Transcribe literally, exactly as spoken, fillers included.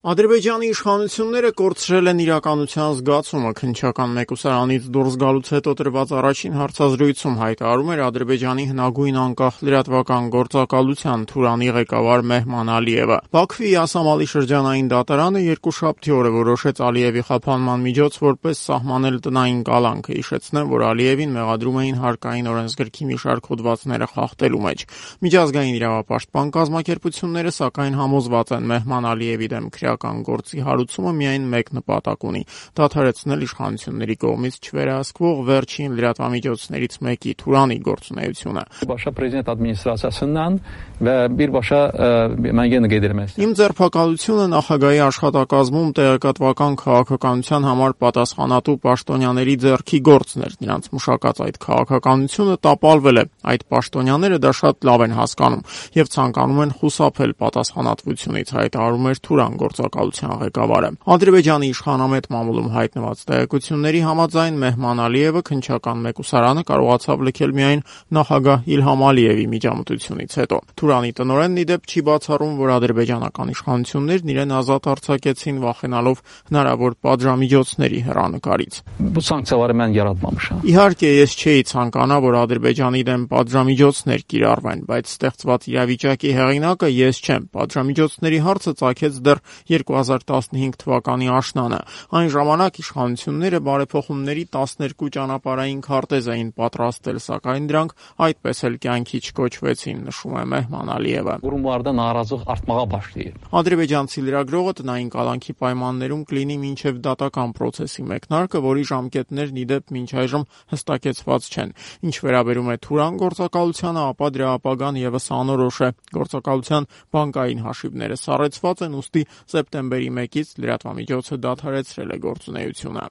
Ադրբեջանի իշխանությունները կորցրել են իրականության զգացումը։ Քննչական մեկուսարանից դուրս գալուց հետո տրված առաջին հարցազրույցում հայտարարում էր Ադրբեջանի հնագույն անկախ լրատվական գործակալության Թուրանի ղեկավար Մեհման Ալիևը։ Բաքվի Յասամալի շրջանային դատարանը երկուշաբթի օրը որոշեց Ալիևի խափանման միջոց որպես սահմանել տնային կալանքը։ Հիշեցնեմ, որ Ալիևին մեղադրում էին հարկային օրենսգրքի մի շարք հոդվածները խախտելու մեջ։ Միջազգային իրավապաշտպան կազմակերպությունները սակայն համոզված են Մեհման Ալիևի դեմ քրեական գործի հարուցումը միայն մեկ նպատակ ունի՝ դադարեցնել իշխանությունների կողմից չվերահսկվող վերջին լրատվամիջոցներից մեկի՝ Թուրանի գործունեությունը։ Իմ ձերբակալությունը նախագահի աշխատակազմում տեղեկատվական քաղաքականության համար պատասխանատու պաշտոնյաների ձեռքի գործն էր։ Նրանց մշակած այդ քաղաքականությունը տապալվել է։ Այդ պաշտոնյաները դա շատ լավ են հասկանում եւ ցանկանում են խուսափել պատասխանատվությունից, հայտարարում էր Թուրան գործակալության ղեկավարը։ Ադրբեջանի իշխանամետ մամուլում հայտնված տեղեկությունների համաձայն Մեհման Ալիևը քննչական մեկուսարանը կարողացավ լքել միայն նախագահ Իլհամ Ալիևի միջամտությունից հետո։ Թուրանի տնօրենն ի դեպ չի բացառում, որ ադրբեջանական իշխանություններն իրեն ազատ արձակեցին վախենալով հնարավոր պատժամիջոցների հեռանկարից։ Իհարկե, ես չէի ցանկանա, որ Ադրբեջանի դեմ պատժամիջոցներ կիրառվեն, բայց ստեղծված իրավիճակի հեղինակը ես չեմ։ Պատժամիջոցների հարցը ծագեց դեռ երկու հազար տասնհինգ թվականի աշնանը։ Այն ժամանակ իշխանությունները բարեփոխումների տասներկու ճանապարհային քարտեզ էին պատրաստել, սակայն դրանք այդպես էլ կյանքի չկոչվեցին, նշում է Մեհման Ալիևը։ Ադրբեջանցի լրագրողը տնային կալանքի պայմաններում կլինի մինչև դատական պրոցեսի մեկնարկը, որի ժամկետներն ի դեպ մինչ այժմ հստակեցված չեն։ Ինչ վերաբերում է Թուրան գործակալությանը, ապա դրա ապագան ևս անորոշ է։ Գործակալության բանկային հաշիվները սառեցված են, ուստի սեպտեմբերի մեկից լրատվամիջոցը դադարեցրել է գործունեությունը։